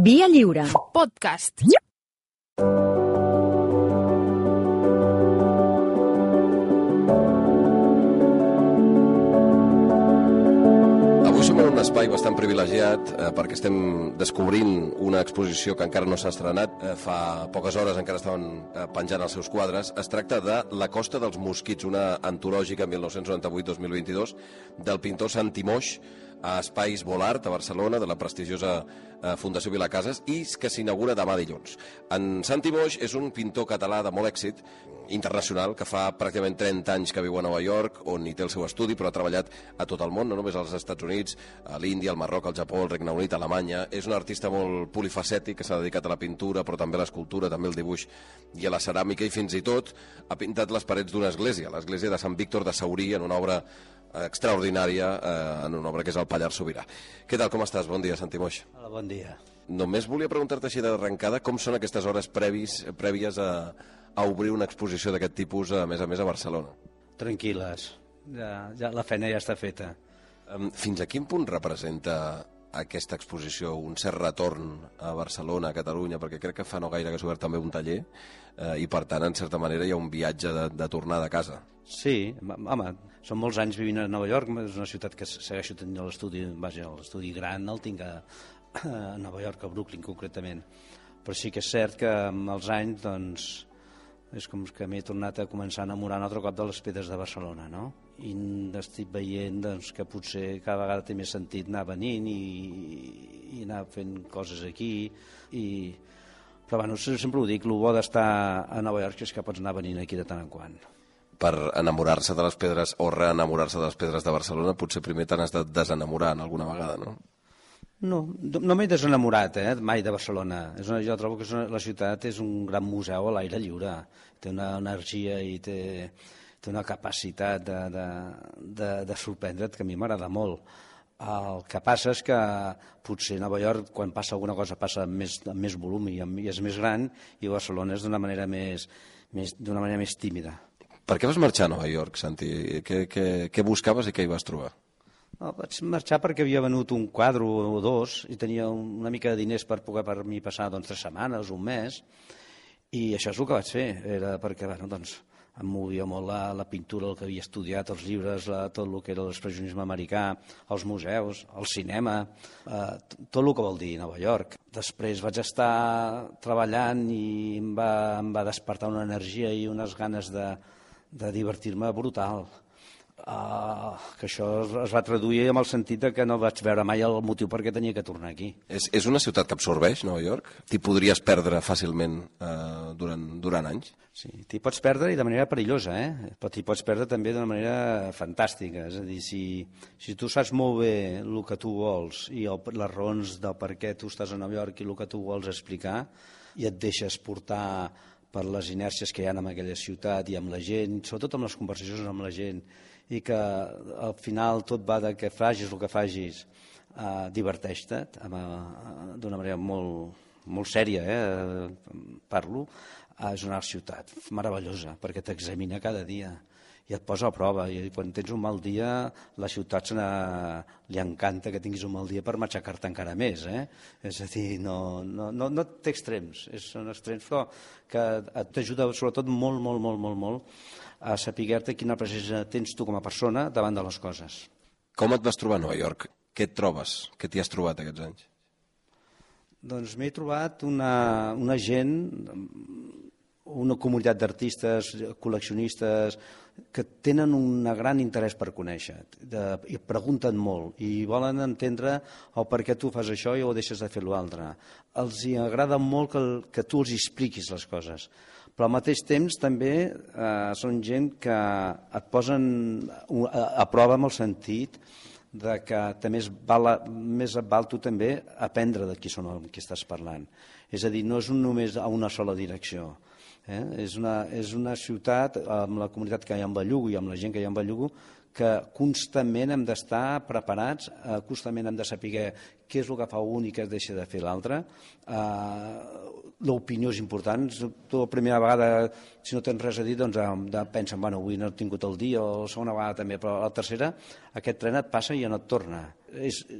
Via Lliure. Podcast. Avui som en un espai bastant privilegiat perquè estem descobrint una exposició que encara no s'ha estrenat. Fa poques hores encara estaven penjant els seus quadres. Es tracta de La costa dels mosquits, una antològica 1998-2022 del pintor Santi Moix, a Espais Volart, a Barcelona, de la prestigiosa Fundació Vilacases, i que s'inaugura demà dilluns. En Santi Moix és un pintor català de molt èxit, internacional, que fa pràcticament 30 anys que viu a Nova York, on hi té el seu estudi, però ha treballat a tot el món, no només als Estats Units, a l'Índia, al Marroc, al Japó, al Regne Unit, a Alemanya. És un artista molt polifacètic, que s'ha dedicat a la pintura, però també a l'escultura, també al dibuix i a la ceràmica, i fins i tot ha pintat les parets d'una església, l'església de Sant Víctor de Saurí, en una obra extraordinària, en una obra que és el Pallars Sobirà. Què tal, com estàs? Bon dia, Santi Moix. Hola, bon dia. Només volia preguntar-te així d'arrencada com són aquestes hores prèvies a obrir una exposició d'aquest tipus, a més a Barcelona. Tranquil·les, ja la feina ja està feta. Fins a quin punt representa aquesta exposició un cert retorn a Barcelona, a Catalunya, perquè crec que fa no gaire que s'ha obert també un taller, i per tant, en certa manera, hi ha un viatge de tornada a casa. Sí, home, són molts anys vivint a Nova York, és una ciutat que segueixo tenint l'estudi gran, el tinc a Nova York, a Brooklyn concretament, però sí que és cert que amb els anys, doncs, és com que m'he tornat a començar a enamorar un altre cop de les pedres de Barcelona, no? I estic veient doncs, que potser cada vegada té més sentit anar venint i anar fent coses aquí. Però bueno, sempre ho dic, el bo d'estar a Nova York és que pots anar venint aquí de tant en quant. Per enamorar-se de les pedres o reenamorar-se de les pedres de Barcelona, potser primer t'has de desenamorar alguna vegada, no? No m'he desenamorat mai de Barcelona. Jo trobo que la ciutat és un gran museu a l'aire lliure. Té una energia i té una capacitat de sorprendre't que a mi m'agrada molt. El que passa és que potser a Nova York, quan passa alguna cosa, passa amb més volum i és més gran, i Barcelona és d'una manera més tímida. Per què vas marxar a Nova York, Santi? Què buscaves i què hi vas trobar? No, vaig marxar perquè havia venut un quadre o dos i tenia una mica de diners per poder per mi passar 3 setmanes, un mes, i això és el que vaig fer. Era perquè em movia molt la pintura, el que havia estudiat, els llibres, tot el que era l'expressionisme americà, els museus, el cinema, tot el que vol dir Nova York. Després vaig estar treballant i em va despertar una energia i unes ganes de divertir-me brutal. Que això es va traduir amb el sentit que no vaig veure mai el motiu per què tenia que tornar aquí. És una ciutat que absorbeix, Nova York? T'hi podries perdre fàcilment durant anys? Sí, t'hi pots perdre i de manera perillosa, però t'hi pots perdre també d'una manera fantàstica. És a dir, si tu saps molt bé el que tu vols i les raons del per què tu estàs a Nova York i el que tu vols explicar, i et deixes portar per les inèrcies que hi ha en aquella ciutat i amb la gent, sobretot amb les conversacions amb la gent, i que al final tot va de que facis el que facis, diverteix-te d'una manera molt sèria, parlo. És una ciutat meravellosa perquè t'examina cada dia i et posa a prova, i quan tens un mal dia la ciutat li encanta que tinguis un mal dia per matxacar-te encara més. És a dir, no té extrems, són extrems però que t'ajuda sobretot molt a saber-te quina presència tens tu com a persona davant de les coses. Com et vas trobar a Nova York? Què et trobes? Què t'hi has trobat aquests anys? Doncs m'he trobat una gent, una comunitat d'artistes, col·leccionistes, que tenen un gran interès per conèixer, i pregunten molt, i volen entendre el per què tu fas això i ho deixes de fer l'altre. Els agrada molt que tu els expliquis les coses, però al mateix temps també són gent que et posen a prova amb el sentit que més et val tu també aprendre de qui són amb qui estàs parlant. És a dir, no és només a una sola direcció. És una ciutat, amb la comunitat que hi ha en Bellugo i amb la gent que hi ha en Bellugo, que constantment hem d'estar preparats, constantment hem de saber què és el que fa un i què es deixa de fer l'altre, l'opinió és important. Tu la primera vegada, si no tens res a dir, doncs pensen, bueno, avui no he tingut el dia, o la segona vegada també, però la tercera, aquest tren et passa i ja no et torna.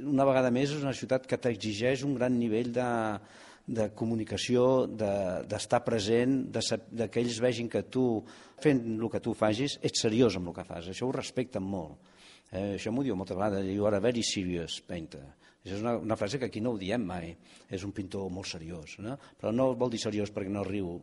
Una vegada més, és una ciutat que t'exigeix un gran nivell de comunicació, d'estar present, que ells vegin que tu, fent el que tu facis, ets seriós amb el que fas. Això ho respecten molt. Això m'ho diu moltes vegades, you are a very serious painter. Això és una frase que aquí no ho diem mai. És un pintor molt seriós, no? Però no vol dir seriós perquè no riu,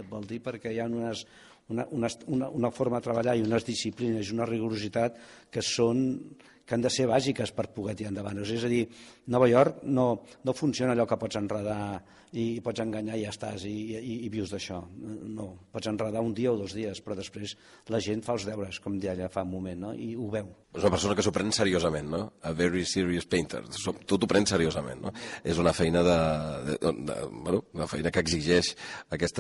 vol dir perquè hi ha una forma de treballar i unes disciplines i una rigorositat que han de ser bàsiques per poder tirar endavant. És a dir, Nova York no funciona allò que pots enredar i pots enganyar i ja estàs i vius d'això. No, pots enredar un dia o 2 dies, però després la gent fa els deures, com deia ella fa un moment, no? I ho veu. És una persona que s'ho pren seriosament, no? A very serious painter. Tu t'ho prens seriosament, no? És una feina una feina que exigeix aquest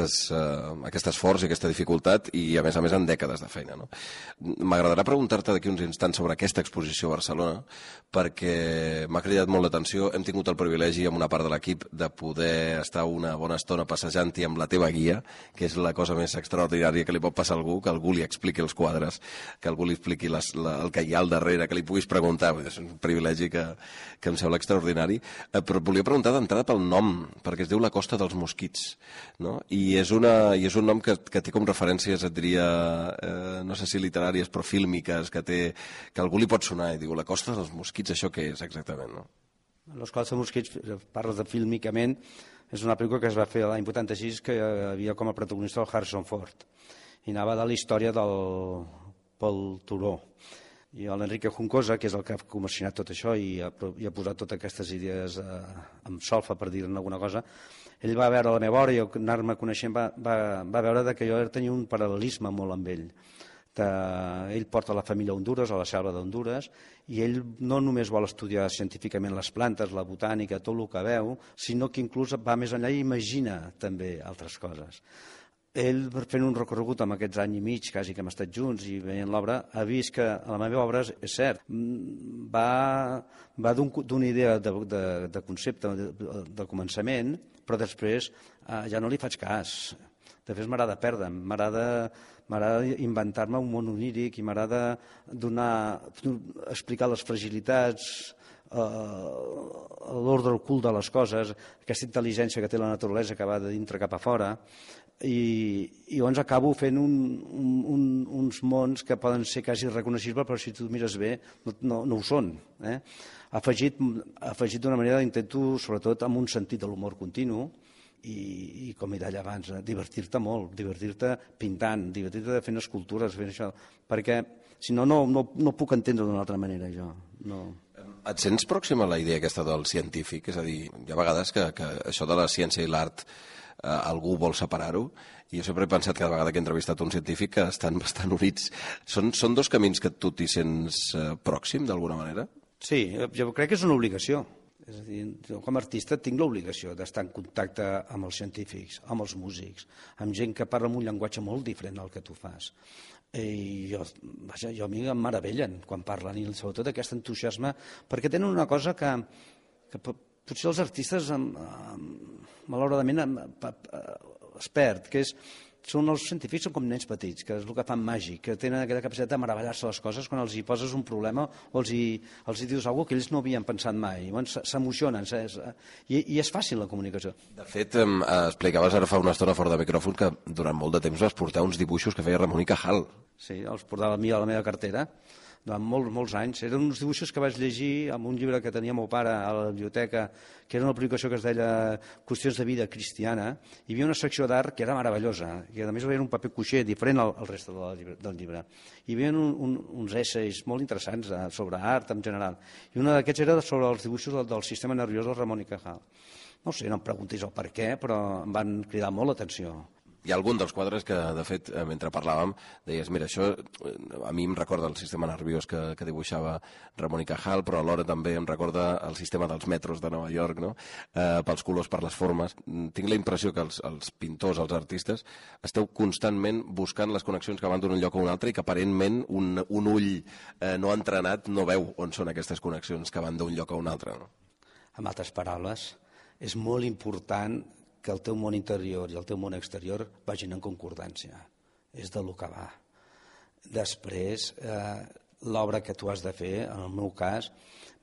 esforç i aquesta dificultat i, a més en dècades de feina, no? M'agradarà preguntar-te d'aquí uns instants sobre aquesta exposició a Barcelona, perquè m'ha cridat molt l'atenció. Hem tingut el privilegi amb una part de l'equip de poder estar una bona estona passejant-hi amb la teva guia, que és la cosa més extraordinària que li pot passar a algú, que algú li expliqui els quadres, que algú li expliqui el que hi ha al darrere, que li puguis preguntar. És un privilegi que em sembla extraordinari. Però et volia preguntar d'entrada pel nom, perquè es diu La Costa dels Mosquits, no? I és un nom que té com referències, et diria, no sé si literàries, però fílmiques, que algú li pot sonar i diu La Costa dels Mosquits, això què és exactament, no? Los Costa dels Mosquits, parles de fílmicament, és una pel·lícula que es va fer l'any 86 que havia com a protagonista el Harrison Ford i anava de la història del Pol Turó. I l'Enrique Juncosa, que és el que ha comissionat tot això i ha posat totes aquestes idees amb solfa, per dir-ne alguna cosa, ell va veure la meva obra i anar-me coneixent va veure que jo tenia un paral·lelisme molt amb ell. Ell porta la família a Hondures, a la selva d'Hondures, i ell no només vol estudiar científicament les plantes, la botànica, tot el que veu, sinó que inclús va més enllà i imagina també altres coses. Ell, fent un recorregut amb aquests anys i mig, quasi que hem estat junts i veient l'obra, ha vist que la meva obra, és cert, va d'una idea de concepte de començament, però després ja no li faig cas. De fet, m'agrada perdre'm, m'agrada inventar-me un món oníric i m'agrada explicar les fragilitats, l'ordre ocult de les coses, aquesta intel·ligència que té la naturalesa que va de dintre cap a fora, i llavors acabo fent uns mons que poden ser quasi reconeixibles, però si tu mires bé no ho són. Afegit d'una manera, intento, sobretot amb un sentit de l'humor continu, i com he dit abans, divertir-te molt, divertir-te pintant, divertir-te fent escultures, fent això, perquè si no, no puc entendre d'una altra manera, jo. No. Et sents pròxim a la idea aquesta del científic? És a dir, hi ha vegades que això de la ciència i l'art algú vol separar-ho, i jo sempre he pensat cada vegada que he entrevistat un científic que estan bastant units. Són dos camins que tu t'hi sents pròxim, d'alguna manera? Sí, jo crec que és una obligació. És a dir, jo com a artista tinc l'obligació d'estar en contacte amb els científics, amb els músics, amb gent que parla amb un llenguatge molt diferent del que tu fas. I a mi em meravellen quan parlen, i sobretot aquest entusiasme, perquè tenen una cosa que potser els artistes malauradament es perd, que són els científics, són com nens petits, que és el que fan màgic, que tenen aquesta capacitat de meravellar-se les coses quan els hi poses un problema o els hi dius alguna cosa que ells no havien pensat mai. S'emocionen, i és fàcil la comunicació. De fet, explicaves ara fa una estona fora de micròfon que durant molt de temps vas portar uns dibuixos que feia Ramon i Cajal. Sí, els portava a mi a la meva cartera durant molts anys. Eren uns dibuixos que vaig llegir en un llibre que tenia meu pare a la biblioteca, que era una publicació que es deia Qüestions de vida cristiana. Hi havia una secció d'art que era meravellosa, i a més era un paper cuixer diferent al reste del llibre. Hi havia uns essays molt interessants sobre art en general, i un d'aquests era sobre els dibuixos del sistema nerviós del Ramon y Cajal. No sé, no em preguntis el per què, però em van cridar molt l'atenció. Hi ha algun dels quadres que, de fet, mentre parlàvem, deies, mira, això a mi em recorda el sistema nerviós que dibuixava Ramon y Cajal, però alhora també em recorda el sistema dels metros de Nova York, no? Pels colors, per les formes. Tinc la impressió que els pintors, els artistes, esteu constantment buscant les connexions que van d'un lloc a un altre i que aparentment un ull no entrenat no veu on són aquestes connexions que van d'un lloc a un altre. No? En altres paraules, és molt important que el teu món interior i el teu món exterior vagin en concordància. És de lo que va. Després, l'obra que tu has de fer, en el meu cas,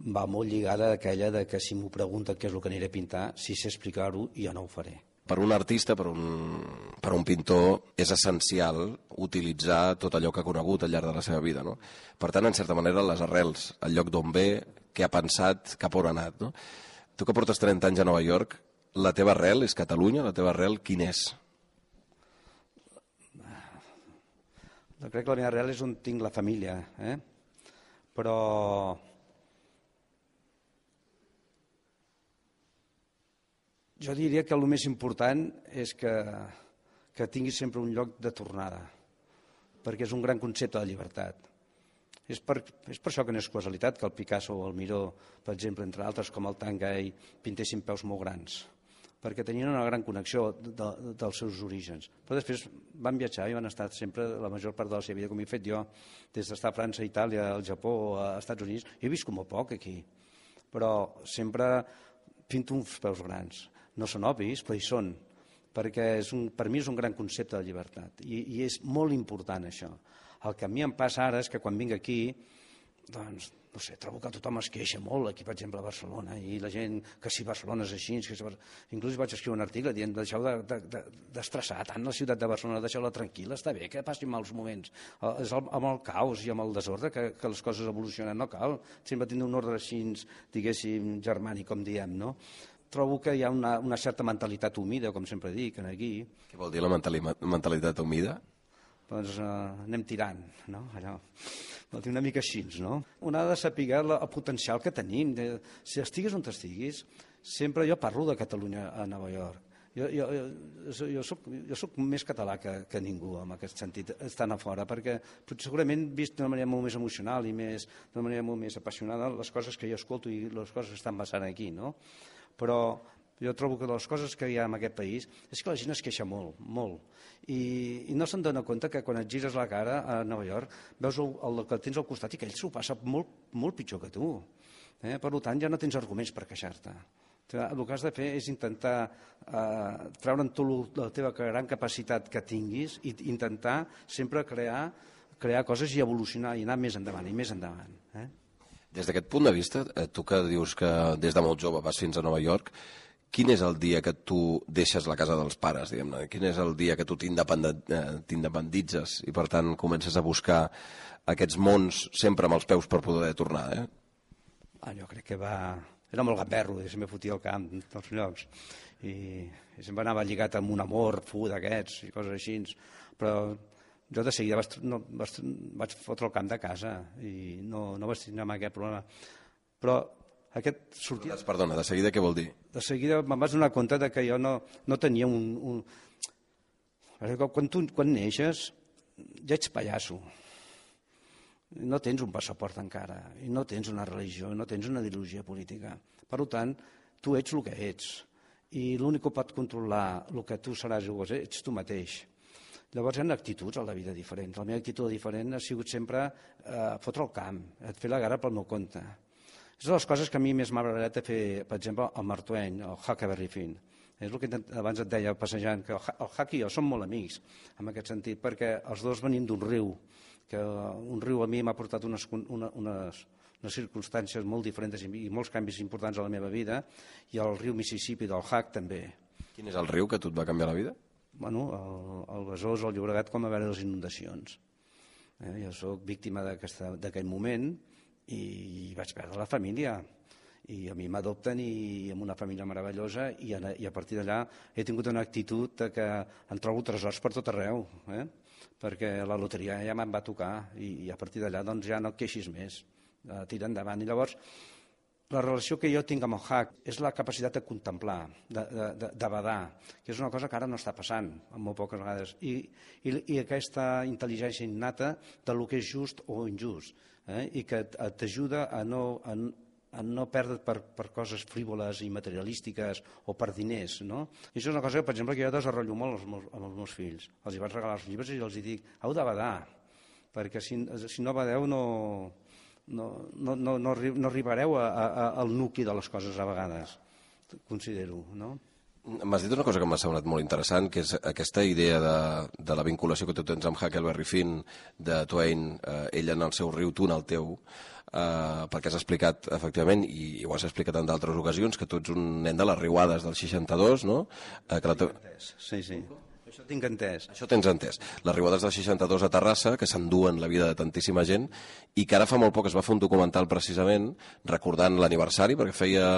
va molt lligada a aquella de que si m'ho pregunten què és el que aniré a pintar, si sé explicar-ho, jo no ho faré. Per un artista, per un pintor, és essencial utilitzar tot allò que ha conegut al llarg de la seva vida, no? Per tant, en certa manera, les arrels, el lloc d'on ve, què ha pensat, cap on ha anat, no? Tu que portes 30 anys a Nova York, la teva arrel és Catalunya? La teva arrel quin és? Jo crec que la meva arrel és on tinc la família, però jo diria que el més important és que tinguis sempre un lloc de tornada, perquè és un gran concepte de llibertat. És per això que no és casualitat que el Picasso o el Miró, per exemple, entre altres com el Tanguy, pintessin peus molt grans, perquè tenien una gran connexió dels seus orígens. Però després van viatjar i van estar sempre la major part de la seva vida, com he fet jo, des d'estar a França, Itàlia, al Japó, als Estats Units. He vist com a poc aquí, però sempre pinto uns peus grans. No són obvis, però hi són, perquè per mi és un gran concepte de llibertat i és molt important això. El que a mi em passa ara és que quan vinc aquí, doncs, no sé, trobo que tothom es queixa molt aquí, per exemple, a Barcelona, i la gent que si Barcelona és així, inclús vaig escriure un article dient deixeu d'estressar tant la ciutat de Barcelona, deixeu-la tranquil·la, està bé que passin mals moments, és amb el caos i amb el desordre que les coses evolucionen, no cal sempre tindre un ordre així, diguéssim, germànic, com diem, no? Trobo que hi ha una certa mentalitat humida, com sempre dic, aquí. Què vol dir la mentalitat humida? Doncs anem tirant, no? Allò, vol dir una mica així, no? Un ha de saber el potencial que tenim. Si estiguis on estiguis, sempre jo parlo de Catalunya a Nova York. Jo soc més català que ningú en aquest sentit, estant a fora, perquè segurament vist d'una manera molt més emocional i d'una manera molt més apassionada les coses que jo escolto i les coses que estan passant aquí, no? Però jo trobo que les coses que hi ha en aquest país és que la gent es queixa molt, molt. I no se'n dona compte que quan et gires la cara a Nova York veus el que tens al costat i que ell s'ho passa molt, molt pitjor que tu. Per tant, ja no tens arguments per queixar-te. El que has de fer és intentar treure'n tu la teva gran capacitat que tinguis i intentar sempre crear coses i evolucionar i anar més endavant i més endavant. Des d'aquest punt de vista, tu que dius que des de molt jove vas fins a Nova York, quin és el dia que tu deixes la casa dels pares, diguem-ne? Quin és el dia que tu t'independitzes i, per tant, comences a buscar aquests mons sempre amb els peus per poder tornar, Jo crec que era molt gamberro, sempre fotia al camp dels llocs i sempre anava lligat amb un amor d'aquests i coses així, però jo de seguida vaig fotre el camp de casa i no vaig tenir mai aquest problema. Però aquest sortia... Perdona, de seguida què vol dir? De seguida me'n vaig donar compte que jo no tenia Quan neixes ja ets pallasso. No tens un passaport encara, i no tens una religió, no tens una ideologia política. Per tant, tu ets el que ets, i l'únic que pot controlar el que tu seràs o ets tu mateix. Llavors hi ha actituds a la vida diferents. La meva actitud diferent ha sigut sempre fotre el camp, fer la guerra pel meu compte. És de les coses que a mi més m'ha agradat de fer, per exemple, el Mark Twain, el Huckleberry Finn. És el que abans et deia passejant, que el Huck i jo som molt amics, en aquest sentit, perquè els dos venim d'un riu, que un riu a mi m'ha portat unes circumstàncies molt diferents i molts canvis importants a la meva vida, i el riu Mississippi del Huck també. Quin és el riu que tu et va canviar la vida? Bueno, el Besòs, el Llobregat, com a veure les inundacions. Jo soc víctima d'aquell moment i vaig perdre la família. I a mi m'adopten i amb una família meravellosa i a partir d'allà he tingut una actitud que em trobo tresors per tot arreu, perquè la loteria ja me'n va tocar i a partir d'allà doncs ja no et queixis més, tira endavant. I llavors la relació que jo tinc amb el Huck és la capacitat de contemplar, de badar, que és una cosa que ara no està passant, molt poques vegades, i aquesta intel·ligència innata del que és just o injust, i que t'ajuda a no perdre per coses frívoles i materialístiques o per diners, no? I això és una cosa que, per exemple, que jo desenvolupo molt amb els meus fills. Els vaig regalar els llibres i els dic, heu de badar, perquè si no badeu no arribareu al nucli de les coses a vegades, considero, no? M'has dit una cosa que m'ha semblat molt interessant, que és aquesta idea de la vinculació que tu tens amb Huckleberry Finn, de Twain, ell en el seu riu, tu en el teu, perquè has explicat, efectivament, i ho has explicat en d'altres ocasions, que tu ets un nen de les riuades del 62, no? Sí, sí. Això tinc entès. Això tens entès. Les riuades del 62 a Terrassa, que s'enduen la vida de tantíssima gent, i que ara fa molt poc es va fer un documental precisament recordant l'aniversari, perquè feia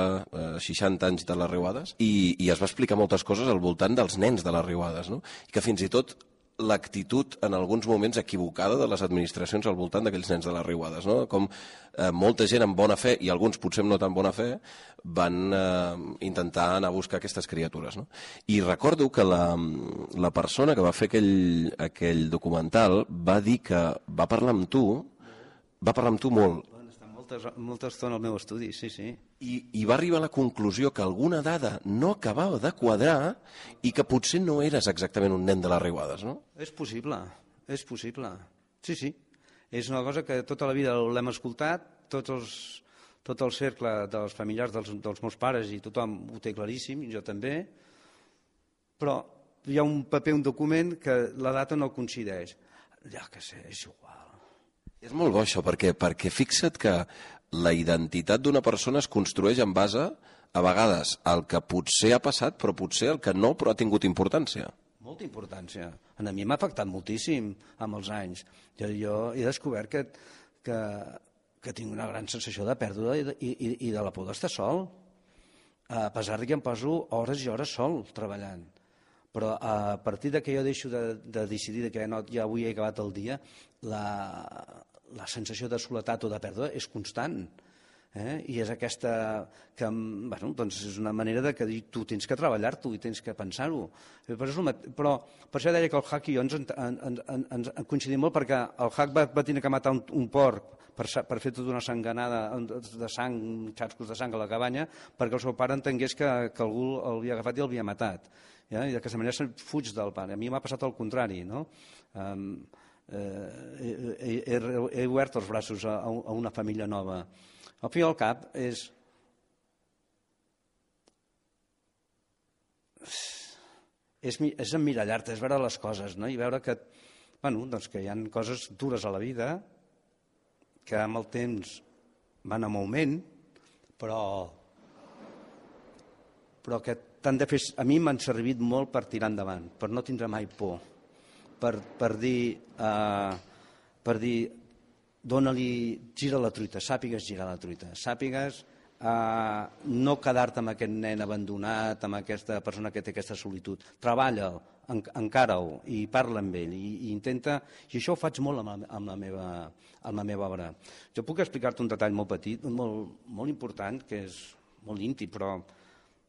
60 anys de les riuades, i es va explicar moltes coses al voltant dels nens de les riuades, no? I que fins i tot l'actitud en alguns moments equivocada de les administracions al voltant d'aquells nens de les riuades, no? Com molta gent amb bona fe, i alguns potser amb no tan bona fe, van intentar anar a buscar aquestes criatures, no? I recordo que la persona que va fer aquell documental va dir que va parlar amb tu molt, molta estona al meu estudi, sí, sí. i va arribar a la conclusió que alguna dada no acabava de quadrar i que potser no eres exactament un nen de les riuades, no? És possible, és possible. Sí, sí. És una cosa que tota la vida l'hem escoltat, tot el cercle dels familiars dels meus pares i tothom ho té claríssim, i jo també, però hi ha un paper, un document, que la data no coincideix. Ja que sé, és igual. És molt bo això, perquè fixa't que la identitat d'una persona es construeix en base, a vegades, al que potser ha passat, però potser el que no, però ha tingut importància. Molta importància. A mi m'ha afectat moltíssim amb els anys. Jo he descobert que tinc una gran sensació de pèrdua i de la por d'estar sol, a pesar que em poso hores i hores sol treballant. Però a partir que jo deixo de decidir que ja avui he acabat el dia, la sensació de soledat o de pèrdua és constant. I és aquesta que, bueno, doncs és una manera que tu tens que treballar-t'ho i tens que pensar-ho. Però per això deia que el Huck i jo ens coincidim molt, perquè el Huck va tenir que matar un porc per fer tota una sanganada de sang, xascos de sang a la cabanya, perquè el seu pare entengués que algú l'havia agafat i l'havia matat. I d'aquesta manera se'n fuig del pare. A mi m'ha passat el contrari, no? He obert els braços a una família nova. Al fi i al cap és emmirallar-te, és veure les coses, no? I veure que, bueno, doncs que hi ha coses dures a la vida que amb el temps van en augment, però que t'han de fer... A mi m'han servit molt per tirar endavant, per no tindre mai por, per dir dóna-li, gira la truita, sàpigues girar la truita, sàpigues no quedar-te amb aquest nen abandonat, amb aquesta persona que té aquesta solitud. Treballa'l, encara-ho, i parla amb ell, i intenta... I això ho faig molt amb la meva obra. Jo puc explicar-te un detall molt petit, molt important, que és molt íntim, però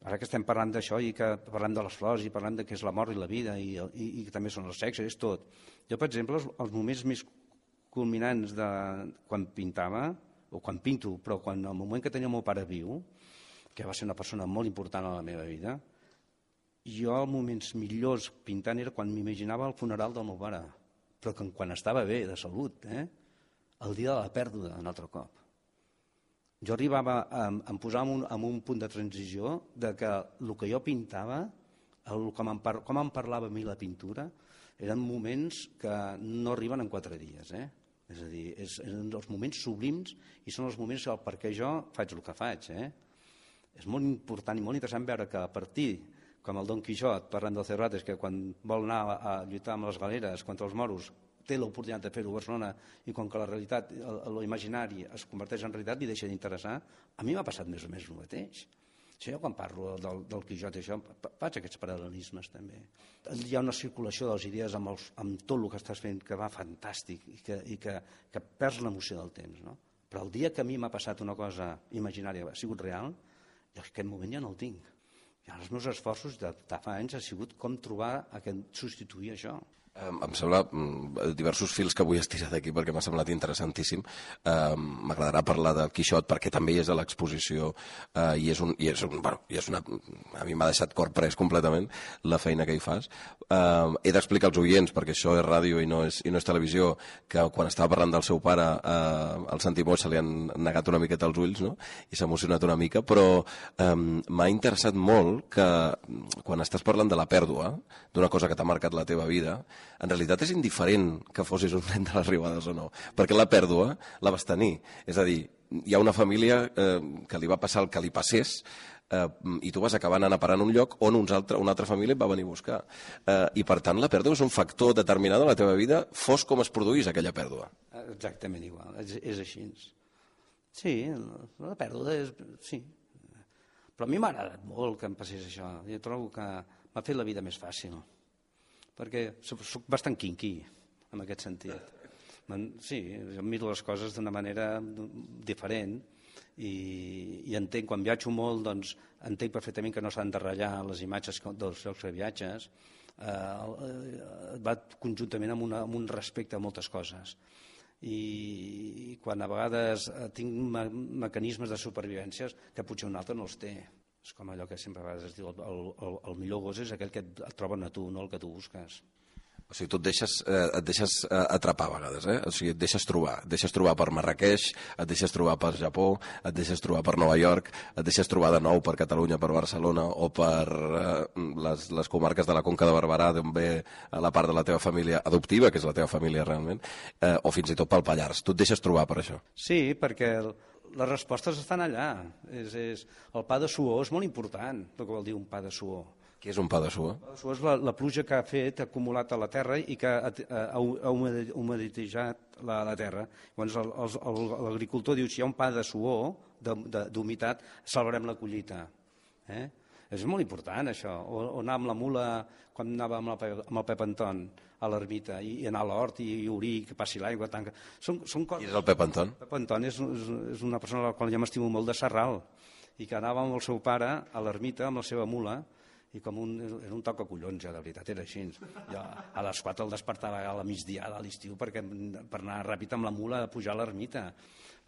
ara que estem parlant d'això i que parlem de les flors i parlem de què és la mort i la vida i que també són els sexes, és tot. Jo, per exemple, els moments més culminants de quan pintava, o quan pinto, però el moment que tenia el meu pare viu, que va ser una persona molt important a la meva vida, jo els moments millors pintant era quan m'imaginava el funeral del meu pare, però quan estava bé, de salut, el dia de la pèrdua, un altre cop. Jo arribava a posar en un punt de transició de que el que jo pintava, com em parlava a mi la pintura, eren moments que no arriben en 4 dies. És a dir, eren els moments sublims i són els moments per què jo faig el que faig. És molt important i molt interessant veure que a partir, com el Don Quixot, parlant del Cervantes, que quan vol anar a lluitar amb les galeres contra els moros, té l'oportunitat de fer-ho a Barcelona i com que la realitat, l'imaginari es converteix en realitat i deixa d'interessar, a mi m'ha passat més o menys el mateix. Jo quan parlo del Quixot i això, faig aquests paral·lelismes també. Hi ha una circulació de les idees amb tot el que estàs fent que va fantàstic i que perds l'emoció del temps. No? Però el dia que a mi m'ha passat una cosa imaginària, ha sigut real, jo aquest moment ja no el tinc. I els meus esforços de fa anys ha sigut com trobar substituir això. Em sembla diversos fils que vull estirar d'aquí perquè m'ha semblat interessantíssim. M'agradarà parlar del Quixot perquè també és a l'exposició i és una... A mi m'ha deixat cor pres completament la feina que hi fas. He d'explicar als oients, perquè això és ràdio i no és televisió, que quan estava parlant del seu pare al Santimó se li han negat una miqueta els ulls, no? I s'ha emocionat una mica, però m'ha interessat molt que quan estàs parlant de la pèrdua, d'una cosa que t'ha marcat la teva vida, en realitat és indiferent que fossis un nen de les Riuades o no, perquè la pèrdua la vas tenir. És a dir, hi ha una família que li va passar el que li passés i tu vas acabar anant a parar en un lloc on una altra família et va venir a buscar. I per tant la pèrdua és un factor determinant de la teva vida, fos com es produís aquella pèrdua. Exactament igual, és així. Sí, la pèrdua és... Sí. Però a mi m'ha agradat molt que em passés això. Jo trobo que m'ha fet la vida més fàcil, perquè soc bastant quinqui en aquest sentit. Sí, jo miro les coses d'una manera diferent i entenc, quan viatjo molt, doncs entenc perfectament que no s'han de ratllar les imatges dels llocs que viatges, va conjuntament amb un respecte a moltes coses. I quan a vegades tinc mecanismes de supervivència que potser un altre no els té. És com allò que sempre a vegades es diu, el millor gos és aquell que et troben a tu, no el que tu busques. O sigui, tu et deixes atrapar a vegades, eh? O sigui, et deixes trobar per Marràqueix, et deixes trobar per Japó, et deixes trobar per Nova York, et deixes trobar de nou per Catalunya, per Barcelona o per les comarques de la Conca de Barberà, d'on ve la part de la teva família adoptiva, que és la teva família realment, o fins i tot pel Pallars. Tu et deixes trobar per això. Sí, perquè les respostes estan allà. El pa de suor és molt important, el que vol dir un pa de suor. Què és un pa de suor? El pa de suor és la pluja que ha fet, ha acumulat a la terra i que ha humeditejat la terra. Llavors l'agricultor diu, si hi ha un pa de suor, d'humitat, salvarem la collita. És molt important això. O anar amb la mula, quan anava amb el Pep Anton a l'ermita, i anar a l'hort i obrir, que passi l'aigua. Són coses... Qui és el Pep Anton? El Pep Anton és una persona a la qual jo m'estimo molt, de Sarral, i que anava amb el seu pare a l'ermita amb la seva mula, i era un tocacollons, ja, de veritat, era així. Jo a les 4 el despertava a la migdiada a l'estiu per anar ràpid amb la mula a pujar a l'ermita.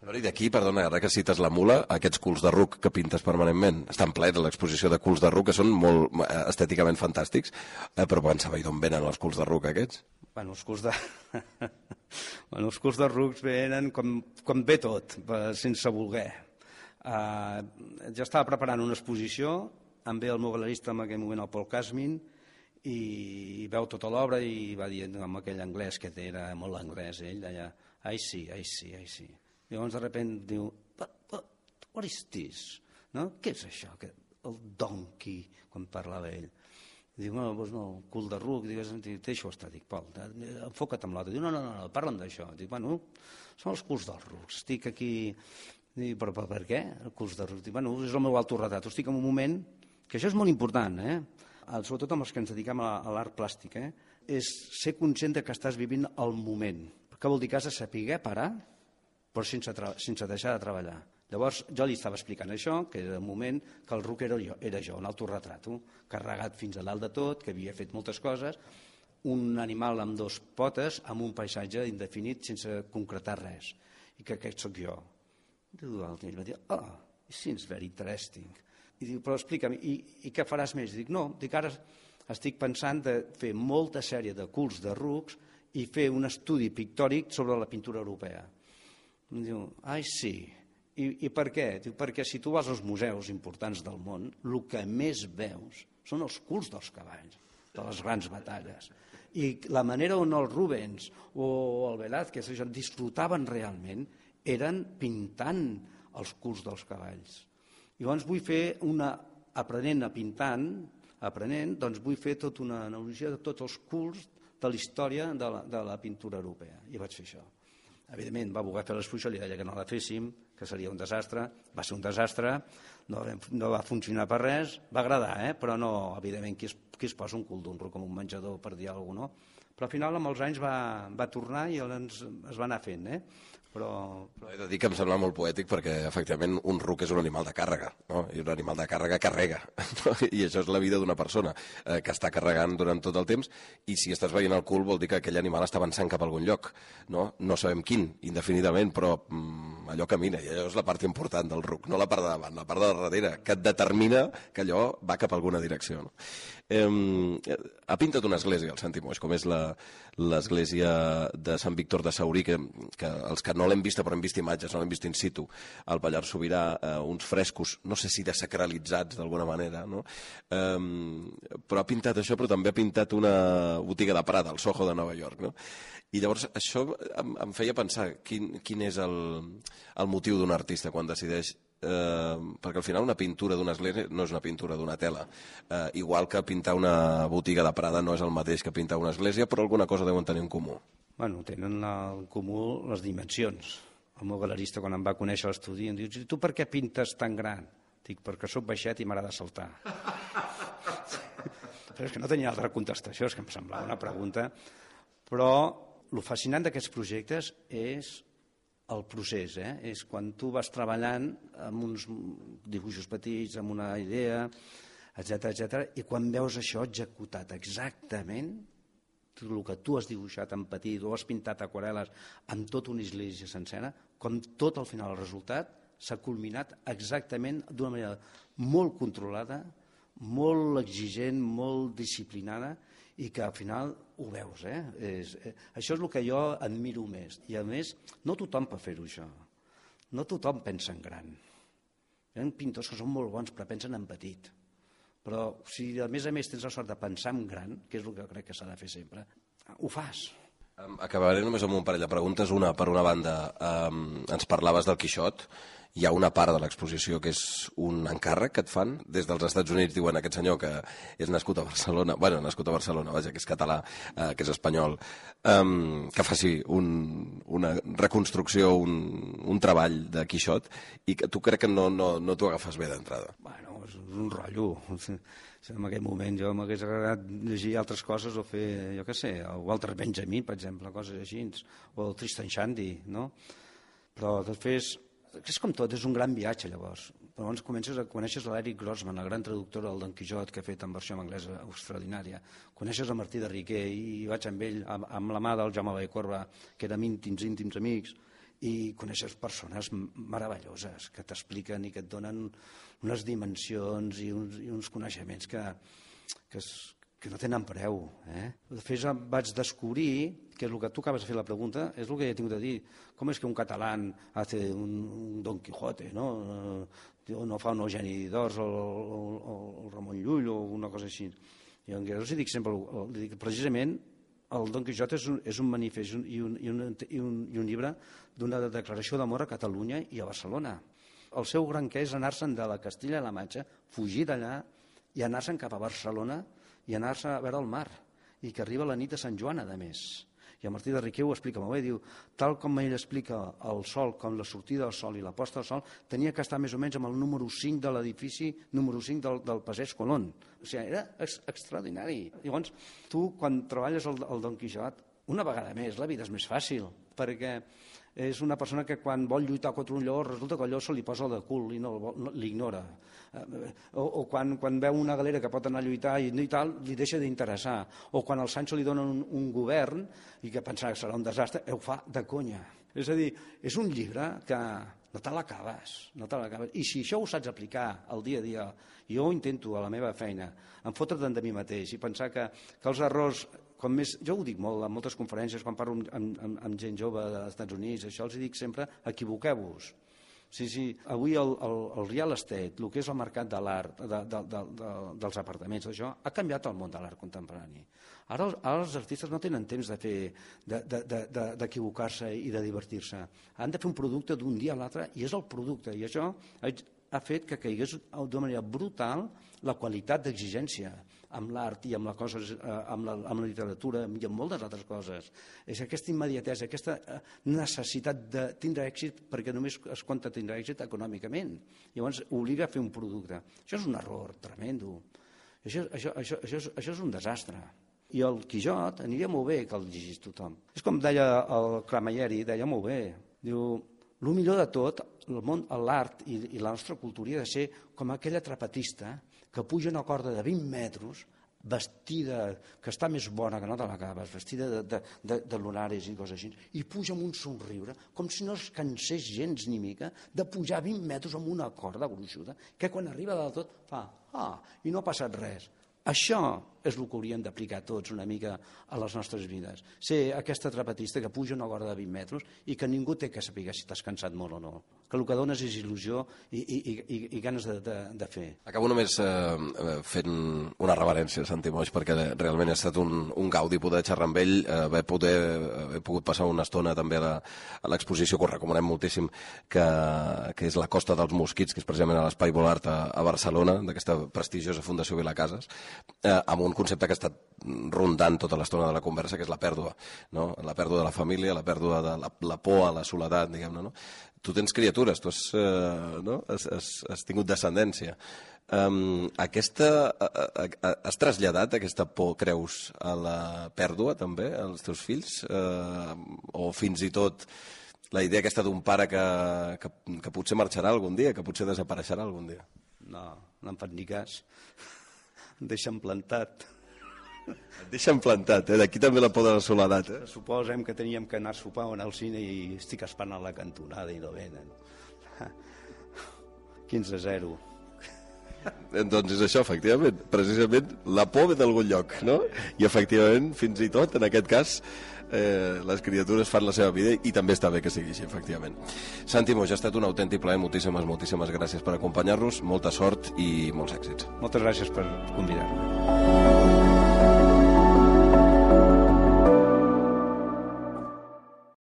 I d'aquí, perdona, ara que cites la mula, aquests culs de ruc que pintes permanentment, estan plets a l'exposició de culs de ruc, que són molt estèticament fantàstics, però pensava, i d'on venen els culs de ruc aquests? Bueno, els culs de rucs venen com ve tot, sense voler. Jo estava preparant una exposició, em ve el meu galerista en aquell moment, el Paul Casmin, i veu tota l'obra i va dient amb aquell anglès, que era molt anglès, ell deia, I see. Llavors de sobte diu, what is this? No? Què és això? El donkey, quan parlava ell. Diu, doncs no, el cul de ruc, deixa-ho estar, dic, Pol, enfoca't amb l'altre. Diu, no, parla'm d'això. Dic, bueno, són els culs dels rucs, estic aquí... Dic, però per què, el culs de rucs? Dic, bueno, és el meu autoretrat, estic en un moment, que això és molt important, sobretot amb els que ens dediquem a l'art plàstic, és ser conscient que estàs vivint el moment. Què vol dir que has de saber parar, però sense deixar de treballar. Llavors jo li estava explicant això, que era un moment que el ruc era jo, un autoretrato, carregat fins a dalt de tot, que havia fet moltes coses, un animal amb 2 potes, amb un paisatge indefinit sense concretar res, i que aquest sóc jo. Ell va dir, it seems very interesting. I diu, però explica'm, i què faràs més? Dic, no, ara estic pensant de fer molta sèrie de culs de rucs i fer un estudi pictòric sobre la pintura europea. Em diu, sí. I per què? Diu, perquè si tu vas als museus importants del món, el que més veus són els culs dels cavalls, de les grans batalles. I la manera on els Rubens o el Velázquez disfrutaven realment eren pintant els culs dels cavalls. Llavors vull fer aprenent a pintant, doncs vull fer tota una analogia de tots els culs de la història de la pintura europea. I vaig fer això. Evidentment, va voler fer l'exposició, li deia que no la féssim, que seria un desastre. Va ser un desastre, no va funcionar per res, va agradar, però no, evidentment, qui es posa un cul d'un ruc com un menjador, per dir alguna cosa, no? Però al final, amb els anys, va tornar i es va anar fent. He de dir que em sembla molt poètic perquè, efectivament, un ruc és un animal de càrrega, no? I un animal de càrrega carrega, no? I això és la vida d'una persona que està carregant durant tot el temps, i si estàs veient el cul vol dir que aquell animal està avançant cap a algun lloc, no? No sabem quin, indefinidament, però allò camina, i allò és la part important del ruc, no la part de davant, la part de darrere, que et determina que allò va cap a alguna direcció, no? Ha pintat una església, el Santi Moix, com és l'església de Sant Víctor de Saurí, que els que no l'hem vista, però hem vist imatges, no l'hem vist in situ, al Pallars Sobirà, uns frescos, no sé si desacralitzats d'alguna manera, no? Però ha pintat això, però també ha pintat una botiga de Prada, al Soho de Nova York, no? I llavors això em feia pensar quin és el motiu d'un artista quan decideix, perquè al final una pintura d'una església no és una pintura d'una tela, igual que pintar una botiga de Prada no és el mateix que pintar una església, però alguna cosa deuen tenir en comú. Bueno, tenen en comú les dimensions. El meu galerista, quan em va conèixer a l'estudi, em diu: tu per què pintes tan gran? Dic: perquè sóc baixet i m'agrada saltar. Però és que no tenia altra contestació, és que em semblava una pregunta. Però el fascinant d'aquests projectes és el procés, és quan tu vas treballant amb uns dibuixos petits, amb una idea, etc, i quan veus això executat exactament, el que tu has dibuixat en petit o has pintat aquarel·les amb tota una església sencera, com tot al final el resultat s'ha culminat exactament d'una manera molt controlada, molt exigent, molt disciplinada, i que al final ho veus. Això és el que jo admiro més. I a més, no tothom pot fer-ho, això. No tothom pensa en gran. Hi ha pintors que són molt bons però pensen en petit. Però si a més tens la sort de pensar en gran, que és el que crec que s'ha de fer sempre, ho fas. Acabaré només amb un parell de preguntes. Una, per una banda, ens parlaves del Quixot. Hi ha una part de l'exposició que és un encàrrec que et fan des dels Estats Units. Diuen aquest senyor que és nascut a Barcelona, vaja, que és català, que és espanyol, que faci una reconstrucció, un treball de Quixot, i que tu crec que no t'ho agafes bé d'entrada. Bueno, és un rotllo. En aquell moment jo m'hagués agradat llegir altres coses o fer, jo què sé, el Walter Benjamin, per exemple, coses així, o el Tristan Shandy, no? Però després, és com tot, és un gran viatge, llavors. Llavors coneixes l'Eric Grossman, el gran traductor del Don Quixot, que ha fet en versió en anglesa extraordinària. Coneixes el Martí de Riquer, i vaig amb ell, amb la mà del Jaume Vallcorba, que érem íntims amics, i coneixes persones meravelloses que t'expliquen i que et donen unes dimensions i uns coneixements que no tenen preu. Després vaig descobrir que el que tu acabes de fer la pregunta és el que he tingut a dir. Com és que un català hace un Don Quijote, no? No fa un Eugeni d'Ors o el Ramon Llull o una cosa així. I els dic sempre, precisament, el Don Quixot és un manifest i un llibre d'una declaració d'amor a Catalunya i a Barcelona. El seu gran què és anar-se'n de la Castilla-La Manxa, fugir d'allà i anar-se'n cap a Barcelona i anar-se a veure el mar, i que arriba la nit de Sant Joan, a més. I el Martí de Riquer ho explica molt bé, diu, tal com ell explica el sol, com la sortida del sol i la posta del sol, tenia que estar més o menys amb el número 5 de l'edifici número 5 del Passeig Colón. O sigui, era extraordinari. Llavors, tu, quan treballes el Don Quixot, una vegada més, la vida és més fàcil, perquè és una persona que quan vol lluitar contra un lleó resulta que el lleó se li posa de cul i l'ignora. O quan veu una galera que pot anar a lluitar i tal, li deixa d'interessar. O quan al Sancho li donen un govern i que pensava que serà un desastre, ho fa de conya. És a dir, és un llibre que no te l'acabes. I si això ho saps aplicar al dia a dia, jo ho intento a la meva feina, em fotre'n de mi mateix i pensar que els errors, jo ho dic molt en moltes conferències, quan parlo amb gent jove dels Estats Units, això els dic sempre, equivoqueu-vos. Sí, avui el real estate, el que és el mercat de l'art, dels apartaments, això ha canviat el món de l'art contemporani. Ara els artistes no tenen temps d'equivocar-se i de divertir-se. Han de fer un producte d'un dia a l'altre i és el producte. I això ha fet que caigués d'una manera brutal la qualitat d'exigència amb l'art i amb la literatura i amb moltes altres coses. És aquesta immediatesa, aquesta necessitat de tindre èxit perquè només es compta tindre èxit econòmicament. Llavors obliga a fer un producte. Això és un error tremendo. Això és un desastre. I el Quixot aniria molt bé que el llegís tothom. És com deia el Camilleri, deia molt bé, Diu, el millor de tot, l'art i la nostra cultura ha de ser com aquella trapetista que puja una corda de 20 metres vestida, que està més bona que no te l'acabes, vestida de lunares i coses així, i puja amb un somriure, com si no es cansés gens ni mica de pujar 20 metres amb una corda gruixuda, que quan arriba del tot fa, i no ha passat res. Això és el que hauríem d'aplicar tots una mica a les nostres vides. Ser aquesta trapetista que puja una corda de 20 metres i que ningú té que saber si t'has cansat molt o no. Que el que dones és il·lusió i ganes de fer. Acabo només fent una reverència a Santi Moix, perquè realment ha estat un gaudi poder xerrar amb ell, haver pogut passar una estona també a l'exposició, que us recomanem moltíssim, que és la Costa dels Mosquits, que és precisament a l'Espai Volart a Barcelona, d'aquesta prestigiosa Fundació Vilacases, amb un concepte que ha estat rondant tota l'estona de la conversa, que és la pèrdua, no? La pèrdua de la família, la pèrdua de la por a la soledat, diguem-ne, no? Tu tens criatures, tu has tingut descendència. Has traslladat aquesta por, creus, a la pèrdua també, als teus fills? O fins i tot la idea aquesta d'un pare que potser marxarà algun dia, que potser desapareixerà algun dia? No em fan ni cas. Em deixen plantat. Et deixen plantat, d'aquí també la por de la soledat. Suposem que teníem que anar a sopar o anar al cine i estic esperant a la cantonada i no venen. 15-0. Doncs és això, efectivament. Precisament la por ve d'algun lloc, no? I efectivament, fins i tot, en aquest cas, les criatures fan la seva vida i també està bé que sigui així, efectivament. Santi Moix, ha estat un autèntic plaer, moltíssimes gràcies per acompanyar-nos, molta sort i molts èxits. Moltes gràcies per convidar-me.